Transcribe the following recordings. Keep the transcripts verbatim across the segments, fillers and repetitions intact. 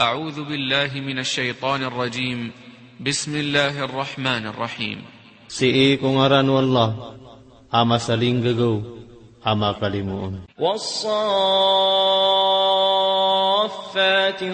أعوذ بالله من الشيطان الرجيم. بسم الله الرحمن الرحيم. Sii ko ngaran o Allah a masalinggagaw a makalimoon. والصافات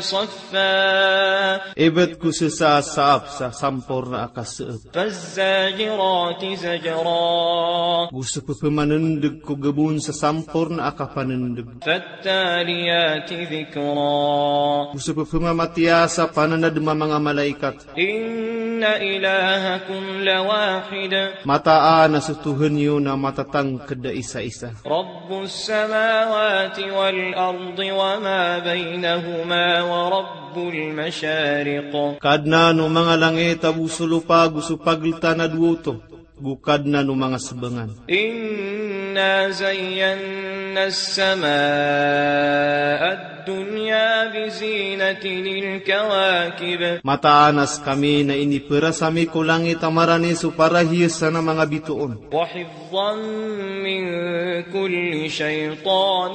صفا. Ibt ko sesa a saap sa samporna a kaseep. فالزاجرات زجرا. Go so pepemanendeg ko gabon sa samporna a kapanendeg. فالتاليات ذكرا. Go so pepemamatiya sa pananadem a manga malaikat. إن إلهكم لواحد. Mataan a so Tohan iyo na matatangked a isa-isa. رب السماوات والأرض وما بينهما ورب المشارق. Kadnan o manga langit ago so lopa ago so pageltan a dowa oto, go Kadnan o manga sebangan. إنا زينا السماء الدنيا بزينة الكواكب. Mataan a sekami na iniperas ami ko langit a marani so parahiyasan a manga bitoon. وحفظا من كل شيطان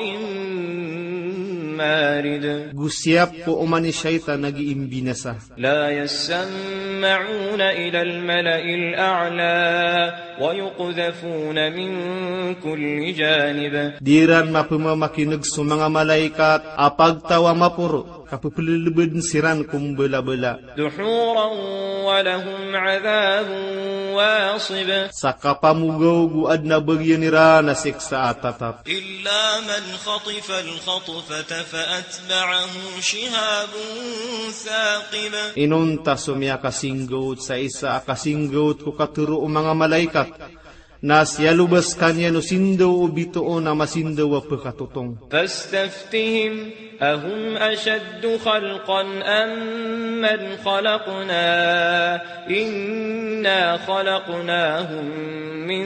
مارد. Go siyap ko oman i shaytan a gii mbinasa. لا يسمعون إلى الملأ الأعلى ويقذفون من كل جانب. Di iran mapemamakineg so manga malaikat a pagtaw a maporo, kapepelelebeden siran ko mbelabela. دحورا ولهم عذاب واصب. Sa kapamogaw go aden a bagian iran a siksa a tatap. إلا من خطف الخطفة فأتبعه شهاب ثاقب. Inonta so miyakasinggaot sa isa a kasinggaot ko katero o manga malaikat, na siyaloba sekaniyan o sindaw o bitoon a masindaw a pekatotong. فاستفتهم أهم أشد خلقا أم من خلقنا إنا خلقناهم من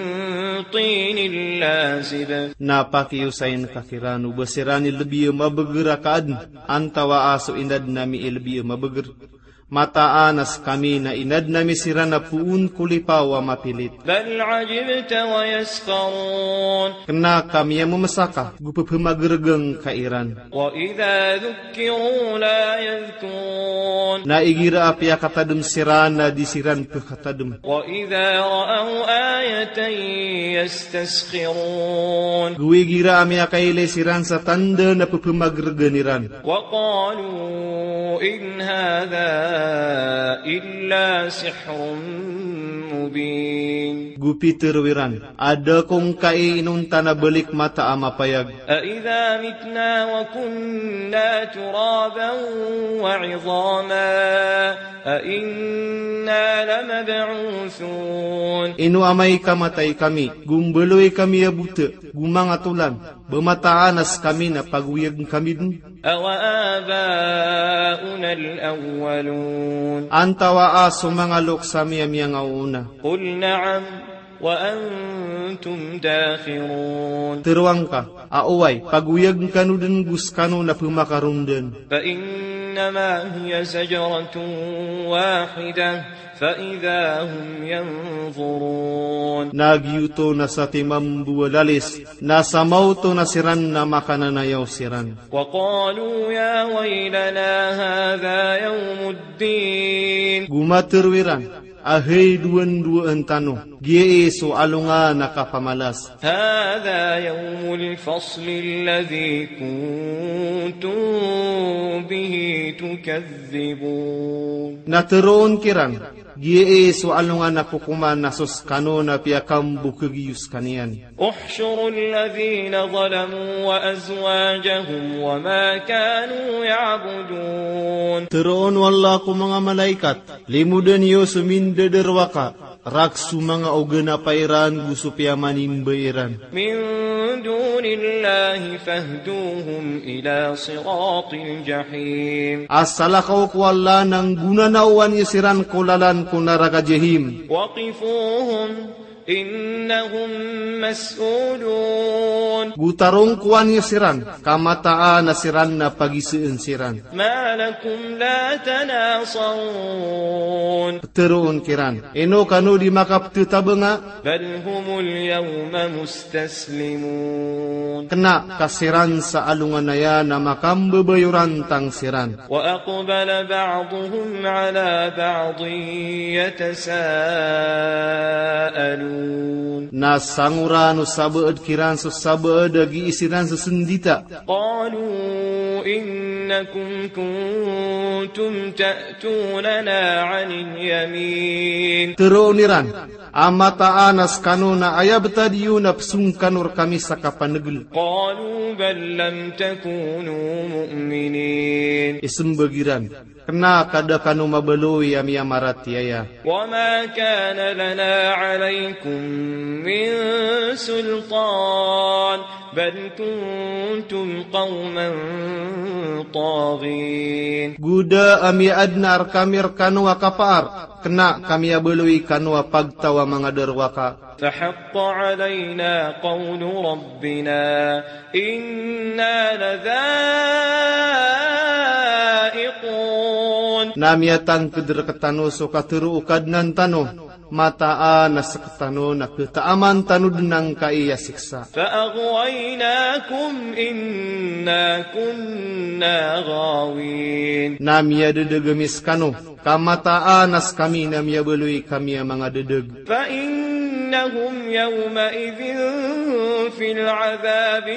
طين لازب. Na pakiyosayin ka kiran o ba siran i lebi a mabeger a kaaden, antawa a so inaden ami i lebi a mabeger. Mataan a sekami na inaden ami siran a poon ko lipaw a mapilit. بل عجبت ويسخرون. Kena ka miyamemesaka, go pepemageregen ka iran. وإذا ذكروا لا يذكرون. Na igira a piyakatadem siran na di siran pekatadem. وإذا رأوا آية يستسخرون. Go igira a miyakailay siran sa tanda na pepemageregen iran. وقالوا إن هذا إلا سحر مبين. Go pitero iran a da ko ngkai inonta na balik mata a mapayag. أإذا متنا وكنا ترابا وعظاما أإنا لمبعوثون. Ino amay ka matay kami, go mbaloy kami a bota, go manga tolan, ba mataan a sekami na pagoyagen kami den? أوآباؤنا الأولون. Antawa a so manga loks ami a miyangaoona? قل نعم وأنتم داخرون. Teroang ka a oway, pagoyagen kano den go sekano na pemakarondan. فإنما هي زجرة واحدة فإذا هم ينظرون. Na giyoto na satiman bo a lalis, na samaoto na siran na makananayaw siran. وقالوا يا ويلنا هذا يوم الدين. Go matero iran a hay dowan-dowaan tano, giyai so alongan a kapamalas. هذا يوم الفصل الذي كنتم به تكذبون. Na teroon kiran, giyai so alongan a kokoman a so sekano na piyakambokegiyo sekaniyan. احشروا الذين ظلموا وأزواجهم وما كانوا يعبدون. Teroon o Allah ko manga malaikat, limoden iyo so mindadarowaka, rakhs o manga oganapa iran go so piyamanimba iran. من دون الله فاهدوهم إلى صراط الجحيم. A salakaw ko Allah na nggonanaowan iyo siran ko lalan ko naraka Jahim. وقفوهم إنهم مسؤولون. Go tarongkowan iyo siran, ka mataan a siran na pagiseen siran. ما لكم لا تناصرون. Ptharoon kiran, ino kano di makapthatabanga? بل هم اليوم مستسلمون. Kna ka siran sa alongan aya na makambabayorantang siran. وأقبل بعضهم على بعض يتساءلون. Na sangoran o sabaad kiran so sabaad a gii siran sesendita. قالوا إنكم كنتم تأتوننا عن اليمين. Tharoon iran, a mataan a skano na aya btad iyo na psong kano rkami sa kapanegel. قالوا بل لم تكونوا مؤمنين. Isembag iran, kna ka da kano mabaloy a miyamaratiyaya. وما كان لنا عليكم من سلطان بل كنتم قوما طاغين. Go da a miyaadn a rkami rkano a kapaar, kna ka miyabaloy kano a pagtaw a manga darowaka. فحق علينا قول ربنا إنا لذائقون. Na miyatangkd rktano so katharo o Kadnan tano, mataan a sktano na ktaaman tano dn angkai a siksa. فأغويناكم إنا كنا غاوين. Na miyadadg ami skano, ka mataan a skami na miyabaloy kami a manga dadg. فإنهم يومئذ في العذاب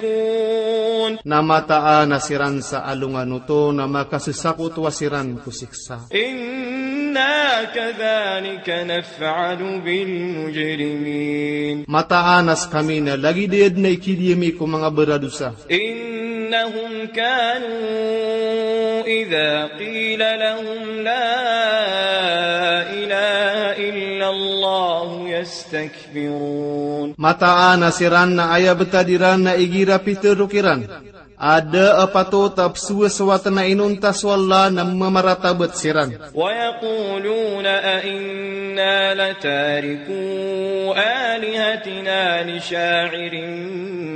مشتركون. Na mataan a siran sa alongan oto na makassakotowa siran ko siksa. إنا كذلك نفعل بالمجرمين. Mataan a skami na lagid aya dn a ikidiyami ko manga baradosa. إنهم كانوا إذا قيل لهم لا إله إلا الله يستكبرون. Mataan a siran na aya btad iran na igira pitharo kiran a da a patot a pzowasowat na inonta so Allah na mamaratabat siran. ويقولون أئنا لتاركو آلهتنا لشاعر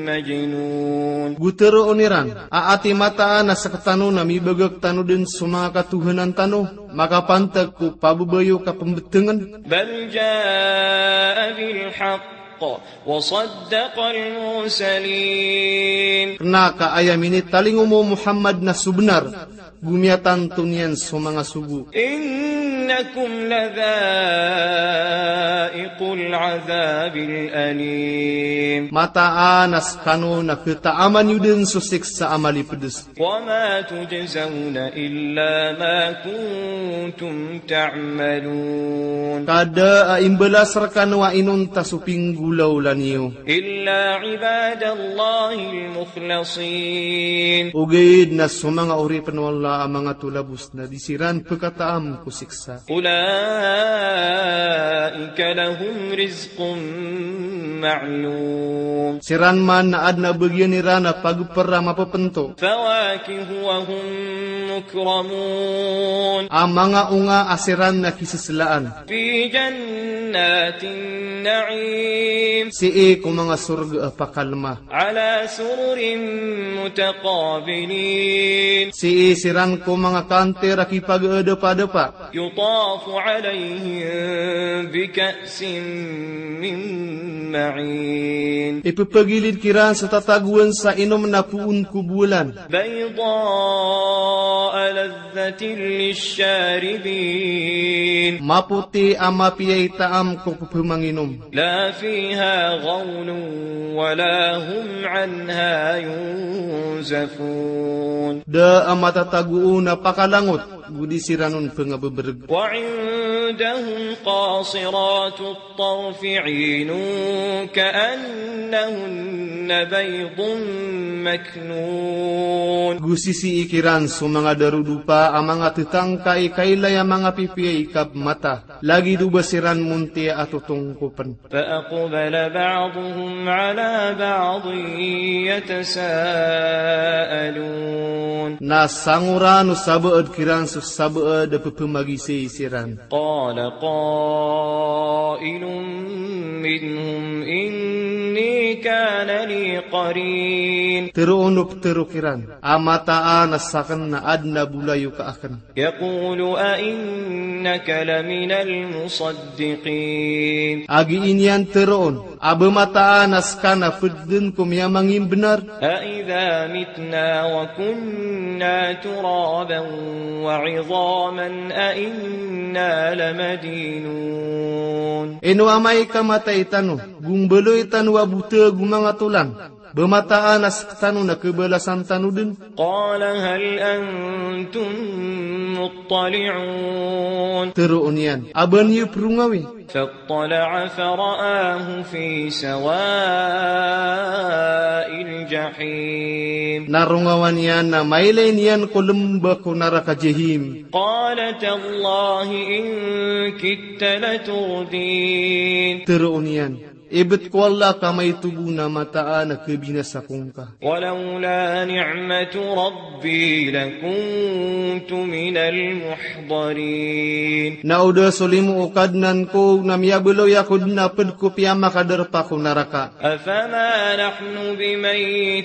مجنون. Go tharoon iran, a ati mataan a sktano na mibagak tano dn so manga katohanan tano makapantag ko pababayo ka pmbtngn? بل جاء بالحق وصدق المرسلين. Kna ka aya minitalingoma o Muhammad na so bnar, go miyatanto niyan so manga sogo. إنكم لذائقو العذاب الأليم. Mataan a skano na ktaaman iyo dn so siksa a malipds. وما تجزون إلا ما كنتم تعملون. Ka da a imbalas rkano a inonta so pinggolawla niyo. إلا عباد الله المخلصين. Ogaid na so manga oripn o Allah a manga tolabos na di siran pkataam ko siksa. أولئك لهم رزق معلوم. Siran man na adn a bagian iran a pagpr a mapapnto. فواكه وهم مكرمون. A manga onga a siran na kiseslaan. في جنات النعيم. Sii ko manga sorga a pakalma. على سرر متقابلين. Sii siran ko manga kantir a kipagadapadapa. يطاف عليهم بكأس من معين. Ipphagilid kiran sa tatagoan sa inom na poon ko bolan. بيضاء لذة للشاربين. Mapoti a mapiya i taam ko pphamanginom. لا فيها غول ولا هم عنها ينزفون. Da a matatago on a pakalangot, go di siran on pngabebrg. وعندهم قاصرات الطرف عين كأنهن بيض مكنون. Go sisii kiran so manga darodopa a manga ttangka i kailay a manga pipiya i kapmata. Lagid o ba siran montiya a totongkopn. فأقبل بعضهم على بعض يتساءلون. Na sangoran o sabaad kiran so sabaad a pphamagizay siran. قال قائل منهم إني كان لي قرين. Tharoon o ptharo kiran a mataan a sakn na adn a bolayoka akn. يقول أإنك لمن المصدقين. A gii niyan tharoon a ba mataan a ska na pd dn ko miyamangimbnar. أإذا متنا وكنا ترابا وعظاما أإنا لمدينون. Ino amay ka matay tano, go mbaloy tano a bota go manga tolang, ba mataan a sktano na khabalasan tano dn. قال هل أنتم مطلعون. Tharoon iyan a ba niyo prongawi. فاطلع فرآه في سواء الجحيم. Na rongawan iyan na mailay niyan ko lmba ko naraka Jahim. قال تالله إن كدت لتردين. Tharoon iyan, ibt ko Allah ka maito bo na mataan a khabinasa ko ngka. ولولا نعمة ربي لكنت من المحضرين. Na o da so limo o Kadnan ko na miyabaloy ako dn a pd ko piyamakadarpa ko naraka. أفما نحن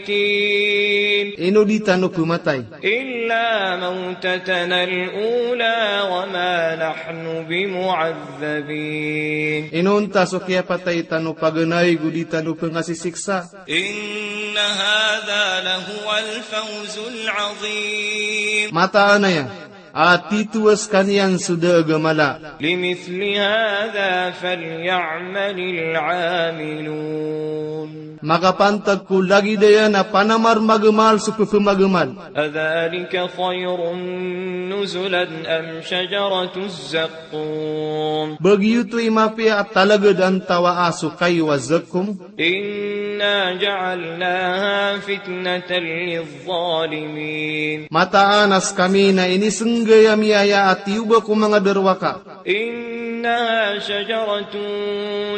بميتين. Ino di tano pmatay. إلا موتتنا الأولى وما نحن بمعذبين. Inonta so kiyapatay tano paganay go di tano pngasisiksa. إن هذا لهو الفوز العظيم. Mataan aya a tito a skaniyan so da a gamala. لمثل هذا فليعمل العاملون. Makapantag ko lagid aya na panamar magamal so pphamagamal. أذلك خير نزلا أم شجرة الزقوم. Ba giyoto i mapiya a talagad antawaa so kayo a zakkum. إنا جعلناها فتنة للظالمين. Mataan a skami na inisnggay ami aya a tiyoba ko manga darowaka. إنها شجرة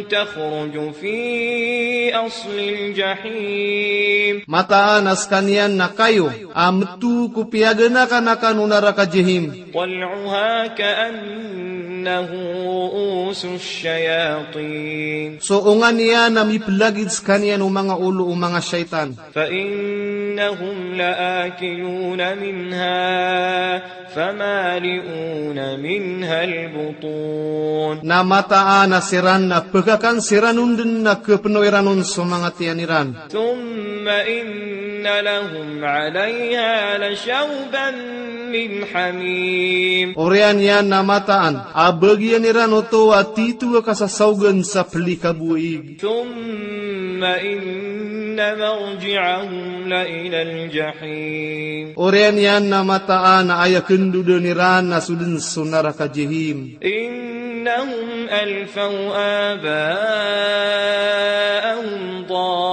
تخرج في أصل الجحيم. Mataan a skaniyan na kayo a mto ko piyaganakanakan o naraka Jahim. طلعها كأنه رءوس الشياطين. So onga niyan a miplagid skaniyan o manga olo o manga shaytan. فإنهم لآكلون منها فمالئون منها البطون. Na mataan a siran na pkakan siran on dn na khapno iran on so manga tiyan iran. ثم إن لهم عليها لشوبا من حميم. Oriyan iyan na mataan a bagian iran oto a tito a kasasaogan sa plikaboig. ثم إن مرجعهم لإلى الجحيم. Oriyan iyan na mataan a aya kndodn iran na so dn so naraka Jahim. إنهم ألفوا آباءهم ضالين.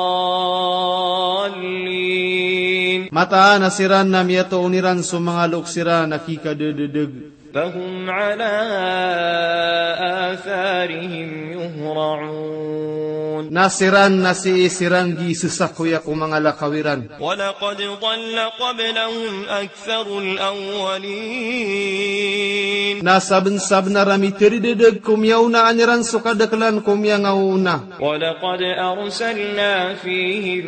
Mataan a siran na miyatoon iran so manga loks iran a kikadadadg. فهم على آثارهم يهرعون. Na siran na sii siran gii sasakoya ko manga lakaw iran. ولقد ضل قبلهم أكثر الأولين. Na sabnsabnar a miteridedeg ko miyaonaan iran so kadaklan ko miyangaoona. ولقد أرسلنا فيهم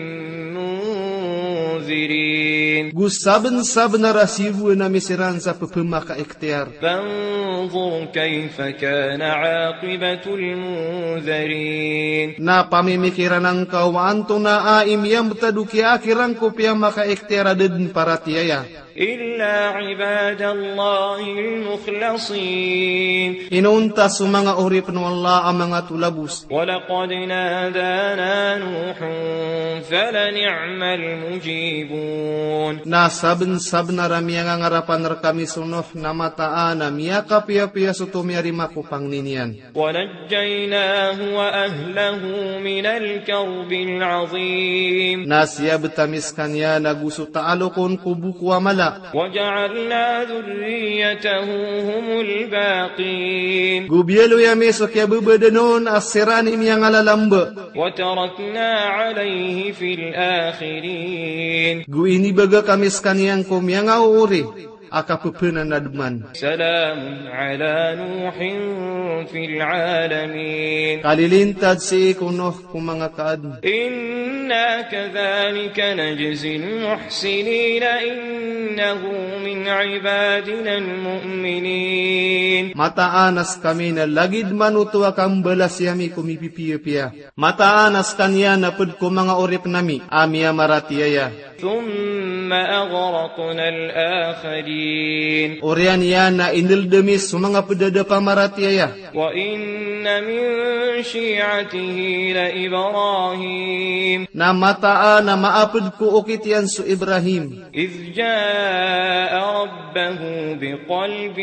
منذرين. Go sabnsabnar a siyogoan ami siran sa pphamakaikhtiyar. فانظر كيف كان عاقبة المنذرين. Na pamimikiran angka o antonaa i miyambtad o kiyaakir angka o piyamakaikhtiyar a da dn paratiyaya. إلا عباد الله المخلصين. Inonta so manga oripn o Allah a manga tolabos. ولقد نادانا نوح فلنعم المجيبون. Na sabnsabnar a miyangangarapn rkami so Nuh na mataan a miyakapiyapiya so tomiyarima ko pangni niyan. ونجيناه وأهله من الكرب العظيم. Na siyabt ami skaniyan ago so taalokon ko boko a mala. وجعلنا ذريته هم الباقين. Go biyaloy ami so kiyababadn on a siran i miyangalalamb. وتركنا عليه في الآخرين. Go inibagak ami skaniyan ko miyangaoori. a kapepenanadman. سلام على نوح في العالمين. Kalilintad sii ko Nuh ko manga kaadn. إنا كذلك نجزي المحسنين إنه من عبادنا المؤمنين. Mataan a skami na lagid man oto a kambalasi ami ko mipipiyapiya. Mataan a skaniyan a pd ko manga oripn ami a miyamaratiyaya. ثم أغرقنا الآخرين. Oriyan iyan na inld ami so manga pd a da pamaratiyaya. وإن من شيعته لإبراهيم. Na mataan a maapd ko okit iyan so Ibrahim. إذ جاء ربه بقلب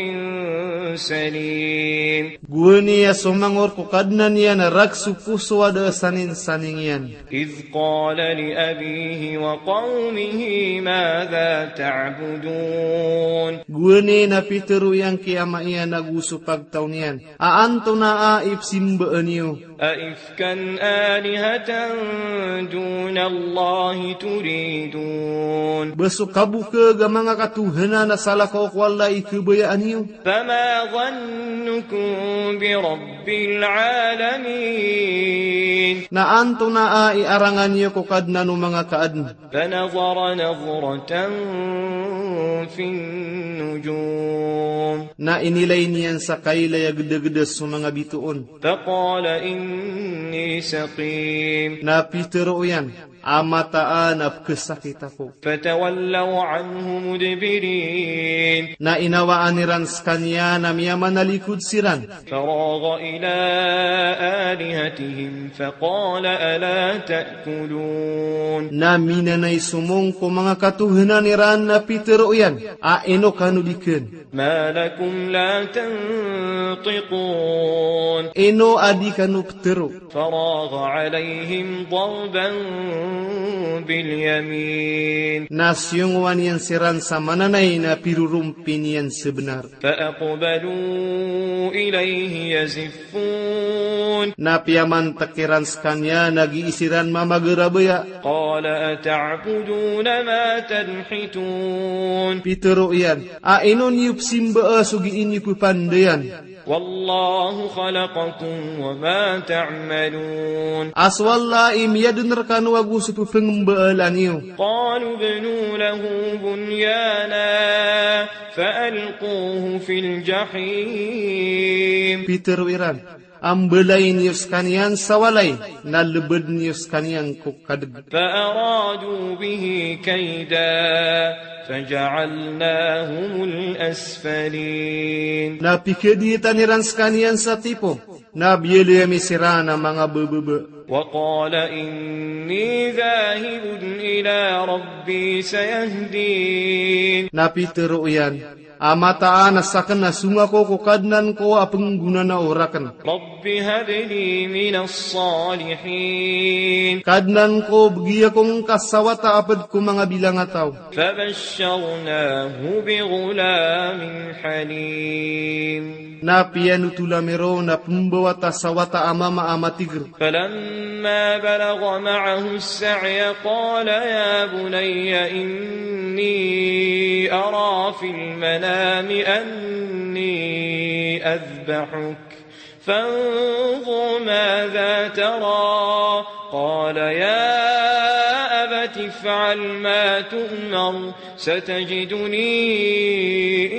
سليم. Gowani a somangor ko Kadnan iyan a rk so poso a da a saninsaning iyan. إذ قال لأبيه وقومه ماذا تعبدون. Gowani na pitharo iyan ki ama iyan ago so pagtaw niyan a antonaa i pzimbaan iyo. أئفكا آلهة دون الله تريدون. Ba so kabokag a manga katohanan a salakaw ko Allah i khabayaan iyo. فما ظنكم برب العالمين. Na antonaa i arangan iyo ko Kadnan o manga kaadn. فنظر نظرة في النجوم. Na inilay niyan sa kailay a gdagda so manga bitoon. فقال إني سقيم. Na pitharo iyan a mataan a pkhasakit ako. فتولوا عنه مدبرين. Na inawaan iran skaniyan a miyamanalikod siran. فراغ إلى آلهتهم فقال ألا تأكلون. Na minanay somong ko manga katohanan iran na pitharo iyan a ino kano di kn. ما لكم لا تنطقون. Ino a di kano ptharo. فراغ عليهم ضربا باليمين. Na siyongowan iyan siran sa mananay na pirorompi niyan sa bnar. فأقبلوا إليه يزفون. Na piyamantk iran skaniyan a gii siran mamagarabaya. قال أتعبدون ما تنحتون. Pitharo iyan a ino niyo pzimbaa so gii niyo ppandayan. والله خلقكم وما تعملون. A so Allah i miyadn rkano ago so pphangbaalan iyo. قالوا ابنوا له بنيانا فألقوه في الجحيم. Pitharo iran a mbalayin iyo skaniyan sa walay na lbadn iyo skaniyan ko kadg. فأرادوا به كيدا فجعلناهم الأسفلين. Na pikadiitan iran skaniyan sa tipo, na biyaloy ami siran a manga bbaba. وقال إني ذاهب إلى ربي سيهدين. Na pitharo iyan a mataan a sakn na song ako ko Kadnan ko a pnggonanao rakn. رب هب لي من الصالحين. Kadnan ko, bgi ako ngka sa wata a pd ko manga bilangataw. فبشرناه بغلام حليم. Na piyanothol ami ron a pmbawata sa wata a mama a matigr. فلما بلغ معه السعي قال يا بني إني أرى في المنام أني أذبحك فانظر ماذا ترى قال يا أبت افعل ما تؤمر ستجدني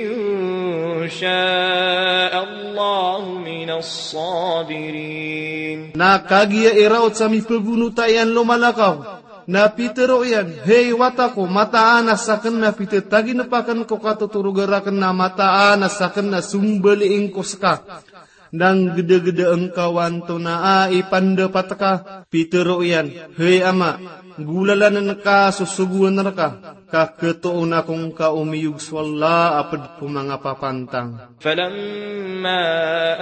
إن شاء الله من الصابرين. Na kagiya i raot sa mipagonota iyan lomalakaw, na pitharo iyan, hay wata ko, mataan a sakn na pitataginp akn ko katotoroga rakn, na mataan a sakn na sombaliing ko ska. Na nggdagda ngka o antonaa i pandapat ka. Pitharo iyan, hay ama, golalann ka so sogoan rka, ka khatoon ako ngka o miyog so Allah a pd ko manga papantang. فلما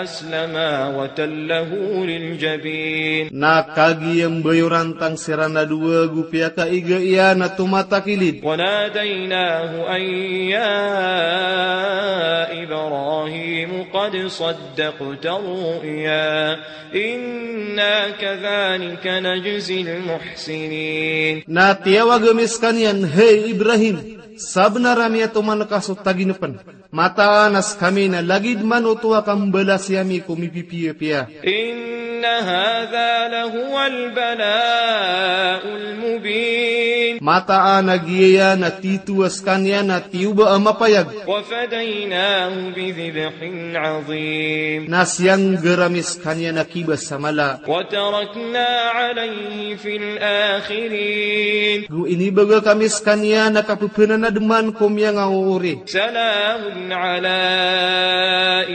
أسلما وتله للجبين. Na kagiya mbayorantang siran a dowa go piyakaiga iyan a tomatakilid. وناديناه أن يا إبراهيم قد صدقت الرؤيا إنا كذلك نجزي المحسنين. Na tiyawag ami skaniyan, hay Ibrahim, Sabnar a miyatoman ka so taginpn. Mataan a skami na lagid man oto a kambalasi ami ko mipipiyapiya. إن هذا لهو البلاء المبين. Mataan a giyaya na tito a skaniyan a tiyoba a mapayag. وفديناه بذبح عظيم. Na siyanggar ami skaniyan a kibas a mala. وتركنا عليه في الآخرين. Go inibagak ami skaniyan a kapphanademan ko miyangaoori. سلام على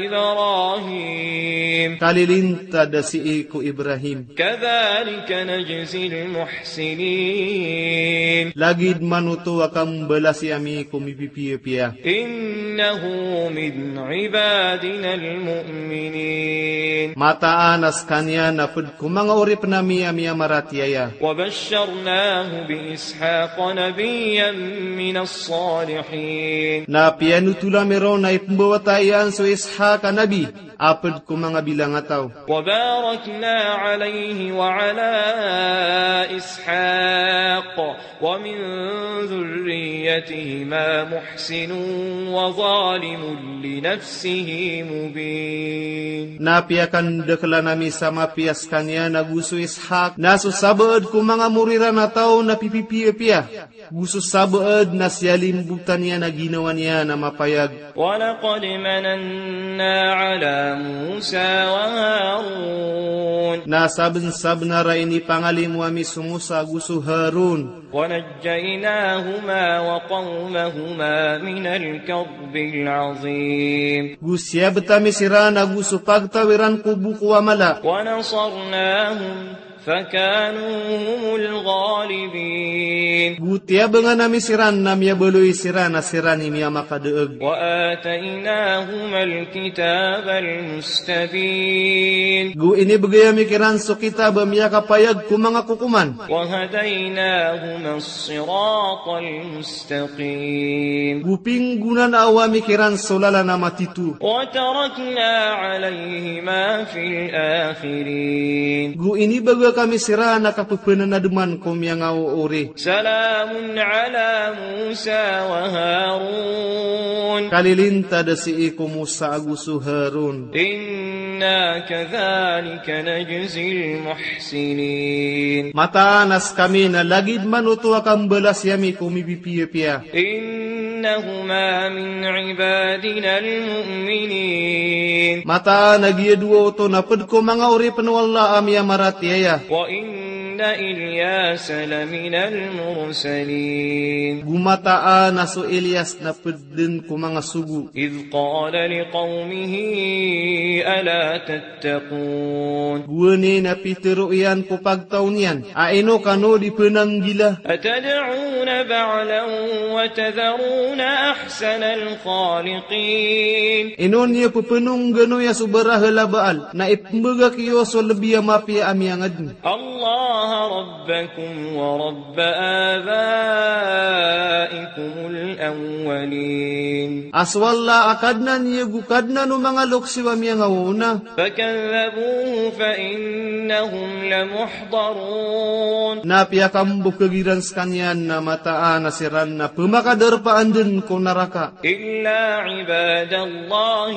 إبراهيم. Kalilintad a sii ko Ibrahim. كذلك نجزي المحسنين. Lagid man oto a kambalasi ami ko mipipiyapiya. إنه من عبادنا المؤمنين. Mataan a skaniyan a pd ko manga oripn ami a miyamaratiyaya. وبشرناه بإسحاق نبيا من الصالحين. Na piyanotol ami ron a ipmbawata iyan so Ishaq a nabi a pd ko manga bilangataw. وباركنا عليه وعلى إسحاق ومن ذريتهما محسن وظالم لنفسه مبين. Na piyakandaklan ami sa mapiya skaniyan a go so Ishaq, na so sabaad ko manga mori ran a taw na pipipiyapiya. Go so sabaad na siyalimbotan iyan a ginawa niyan a mapayag. ولقد مننا على موسى وهارون. Na sabnsabnar a inipangalimo ami so Musa go so Harun. ونجيناهما وقومهما من الكرب العظيم. Go siyabt ami siran ago so pagtaw iran ko boko a mala. ونصرناهم فكانوا هم الغالبين. Go tiyabangan ami siran na miyabaloy siran a siran i miyamakadaag. وآتيناهما الكتاب المستبين. Go inibgay ami kiran so kitab a miyakapayag ko manga kokoman. وهديناهما الصراط المستقيم. Go pinggonanao ami kiran so lalan a matito. وتركنا عليهما في الآخرين. Go inibagak ami siran a kapphanademan ko miyangaoori. سلام على موسى وهارون. Kalilintad a sii ko Musa ago so Harun. إنا كذلك نجزي المحسنين. Mataan a skami na lagid man oto a kambalasi ami ko mipipiyapiya. إنهما من عبادنا المؤمنين. Mataan a giya dowa oto na pd ko manga oripn o Allah a miyamaratiyaya. وإن إلياس لمن المرسلين. Go mataan a so Ilyas na pd dn ko manga sogo. إذ قال لقومه ألا تتقون. Gowani na pitharo iyan ko pagtaw niyan a ino kano di pnanggila. أتدعون بعلا وتذرون أحسن الخالقين. Ino niyo pphanongganoya so barahal a Baal na ipmbagak iyo so lbi a mapiya a miyangadn. الله ربكم ورب آبائكم الأولين. A so Allah a Kadnan iyo go Kadnan o manga loks iyo a miyangaoona. فكذبوه فإنهم لمحضرون. Na piyakambokag iran skaniyan na mataan a siran na pmakadarpaan dn ko naraka. إلا عباد الله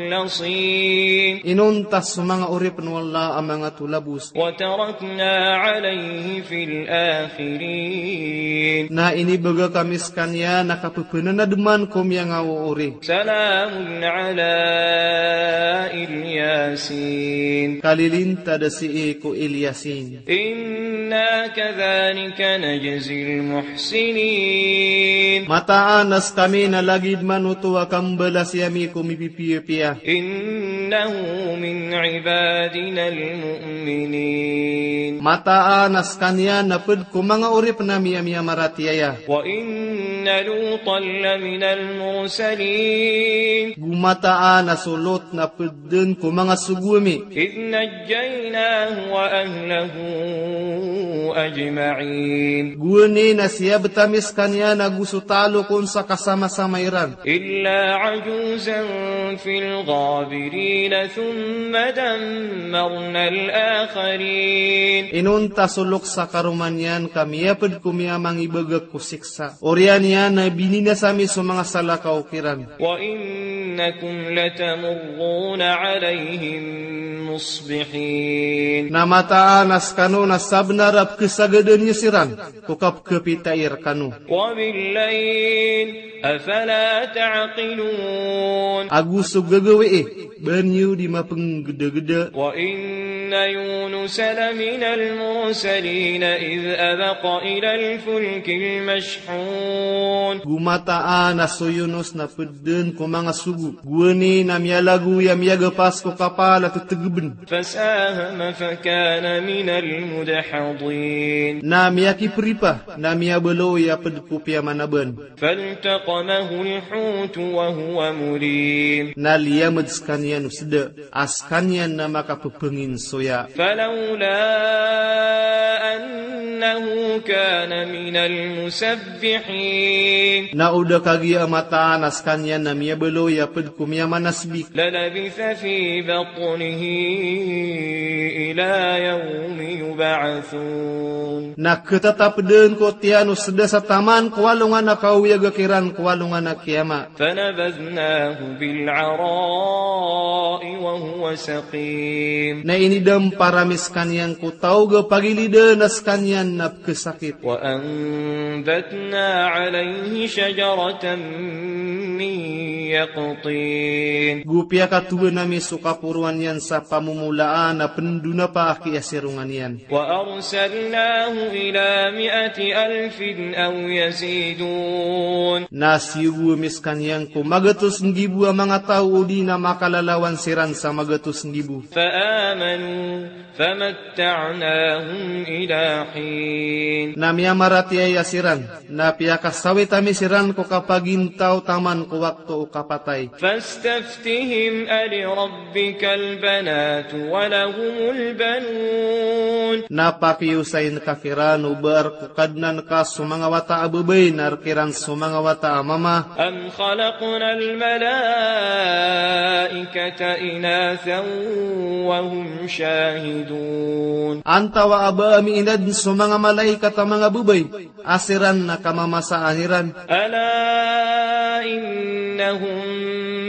المخلصين. Inonta so manga oripn o Allah a manga tolabos. وتركنا عليه في الآخرين. Na inibagak ami skaniyan a kapphanademan ko miyangaoori. سلام على الياسين. Kalilintad a sii ko Ilyasin. إنا كذلك نجزي المحسنين. Mataan a skami na lagid man oto a kambalasi ami ko mipipiyapiya. إنه من عبادنا المؤمنين. Mataan a skaniyan na pd ko manga oripn ami a miyamaratiyaya. وإن لوطا لمن المرسلين. Go mataan a so Lot na pd dn ko manga sogo ami. إذ نجيناه وأهله أجمعين. Gowani na siyabet ami sekaniyan ago so talok on sa kasamasama iran. إلا عجوزا في الغابرين ثم دمرنا الآخرين. Inonta so loks a karoma niyan ka miyaped ko miyamangibagak ko siksa. Oriyan iyan na bininasa mi so manga salakaw kiran. وإنكم لتمرون عليهم مصبحين. Na mataan a sekano na sabenar a pekesagadan iyo siran ko kapekepita iyo rekano. وبالليل أفلا تعقلون. Ago so gagawii, ba niyo di mapenggedageda. وإن يونس لمن المرسلين إذ أبق إلى الفلك المشحون. Go mataan a so Yunus na ped den ko manga sogo. Gowani na miyalagoy a miyagapas ko kapal a tetegeben. فساهم فكان من المدحضين. Na miyakiperipa, na miyabaloy a ped ko piyamanaban. فالتقمه الحوت وهو مليم. Na liyamed sekaniyan o seda, a sekaniyan na makapepengin soya. فلولا أنه كان من المسبحين. Na o da kagiya mataan a sekaniyan na miyabaloy a ped ko miyamanasbik. للبث في بطنه إلى يوم يبعثون. Na ketatap den ko tiyan o seda sa taman ko alongan a kaoyaga kiran ko alongan a kiyamat. فنبذناه بالعراء وهو سقيم. Na inidam parami sekaniyan ko taw ga pagilidan a sekaniyan na pekesakit. وأنبتنا عليه شجرة من يقطين. Go piyakatowan ami so kaporoan iyan sa pamomolaan a pendonapa a kiyasirongan iyan. وأرسلناه إلى مائة ألف أو يزيدون. Na siyogo ami sekaniyan ko magatos nggibo a manga taw odi na makalalawan siran sa magatos nggibo. فآمنوا فمتعناهم إلى حين. Na miyamaratiyaya siran, na piyakasawit ami siran ko kapagintaw taman ko wakto o kapatay. فاستفتهم ألربك البنات ولهم البنون. Na pakiyosayin ka kiran o ba a rek o Kadnan ka so manga wata a babay na rek iran so manga wata a mama. أم خلقنا الملائكة إناثا وهم شاهدون. Antawa a ba ami inadn so manga malaikat a manga babay a siran na kamamasaan iran. ألا إنهم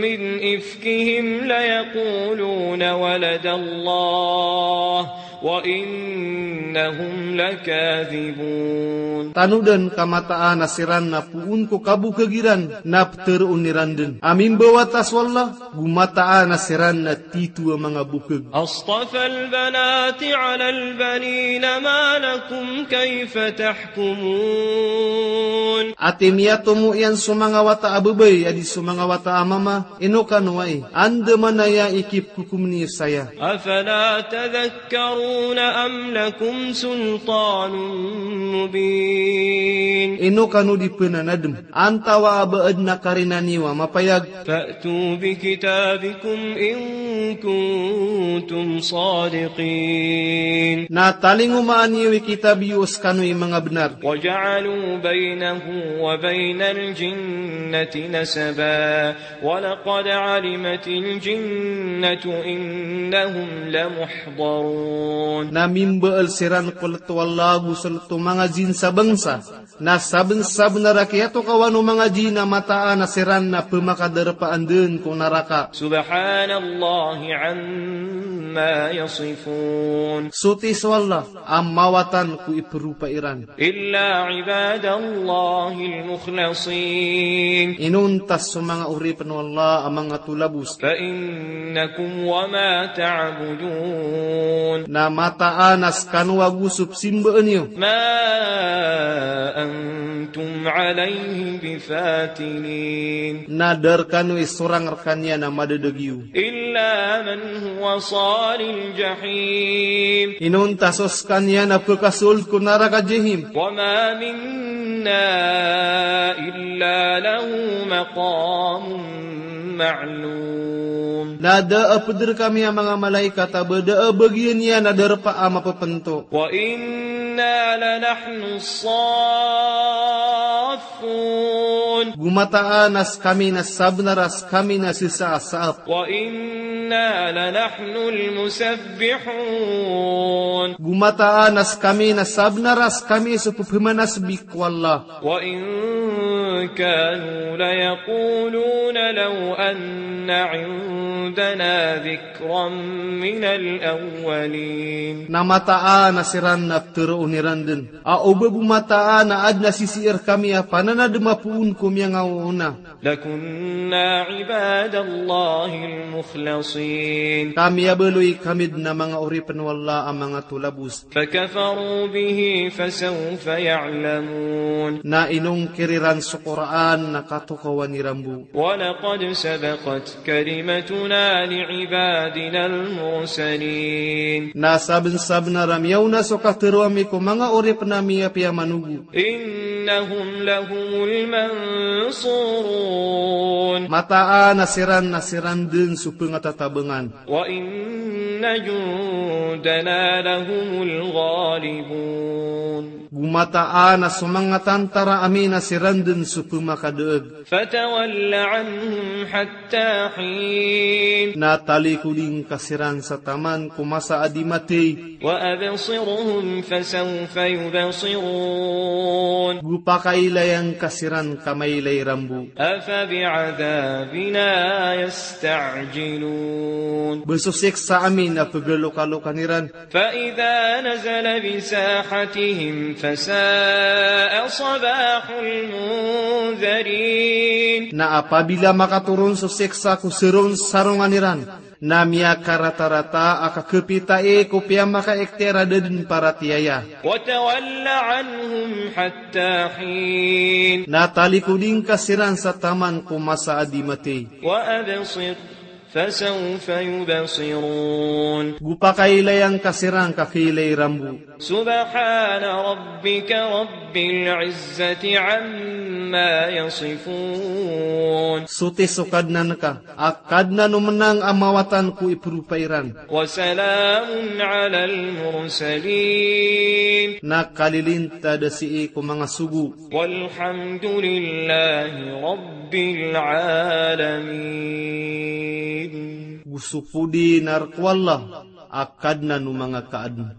من إفكهم ليقولون ولد الله وإنهم لكاذبون. Tanodan ka mataan a siran na poon ko kabokeg iran na peteroon iran den a mimbawata so Allah, go mataan a siran na tito a manga bokeg. أصطفى البنات على البنين ما لكم كيف تحكمون. Ati miyatomo iyan so manga wata a babay a di so manga wata a mama, ino kano ai, anda manaya i kipkokom niyo saya. أفلا تذكرون أم لكم سلطان مبين. Ino kano di penanadem, antawa a ba adn a karina niyo a mapayag. فأتوا بكتابكم إن كنتم صادقين. Na talingomaan iyo i kitab iyo o sekano i manga benar. وجعلوا بينه وبين الجنة نسبا ولقد علمت الجنة إنهم لمحضرون. Na mimbaal siran ko leto o Allah ago so leto o manga jinn sa bangsa. Na sabensabenar a kiyatokawan o manga jinn a mataan a siran na pemakadarpaan den ko naraka. سبحان الله عما يصفون. Soti so Allah a mawatan ko iperopa iran. إلا عباد الله المخلصين. Inonta so manga oripen o Allah a manga tolabos. فإنكم وما تعبدون. Na mataan a sekano ago so pesimbaan iyo. ما أنتم عليه بفاتنين. Na da rekano i sorang rekaniyan a madadagiyo. إلا من هو صال الجحيم. Inonta so sekaniyan a pekasold ko naraka Jahim. وما منا إلا له مقام معلوم. Na da a ped rekami a manga malaikat a ba da a bagian iyan a darpa a mapepento. وإن إنا لنحن الصافون. Go mataan a skami na sabnar a skami na sesasaap. وإنا لنحن المسبحون. Go mataan a skami na sabnar a skami so pepemanasbi ko Allah. وإن كانوا ليقولون لو أن عندنا ذكرا من الأولين. Na mataan a siran na ptharoon iran dn a oba bo mataan a adn a sisii rkami a pananadm a poon ko miyangaoona. لكنا عباد الله المخلصين. Ka miyabaloy kami dn a manga oripn o Allah a manga tolabos. فكفروا به فسوف يعلمون. Na inongkir iran so Qur'an na katokawan iran bo. ولقد سبقت كلمتنا لعبادنا المرسلين. Na sabnsabnar a miyaona so katero ami ko manga oripn ami a piyamanogo. إنهم لهم المنصورون. Mataan a siran na siran dn so pngatatabngan. وإن جندنا لهم الغالبون. Go mataan a so manga tantara ami na siran dn so pmakadaag. فتول عنهم حتى حين. Na talikodi ngka siran sa taman ko masa a di mathay. وأبصرهم فسوف يبصرون. Go pakailaya ngka siran ka mailay iran bo. أفبعذابنا يستعجلون. Ba so siksa ami na pgalokalokan iran. فإذا نزل بساحتهم فساء صباح المنذرين. Na apabila makatoron so siksa ko saron sarongan iran, na miyakaratarata a kakapita i ko piyamakaiktiar a da dn paratiyaya. وتول عنهم حتى حين. Na talikodi ngka siran sa taman ko masa a di mathay. وأبصر فسوف يبصرون. Go pakailaya ngka siran ka kailay iran bo. سبحان ربك رب العزة عما يصفون. Soti so Kadnan ka a Kadnan o mnang a mawatan ko ipropa iran. وسلام على المرسلين. Na kalilintad sii ko manga sogo. والحمد لله رب العالمين. Go so podi na rk o Allah a Kadnan o manga kaadn.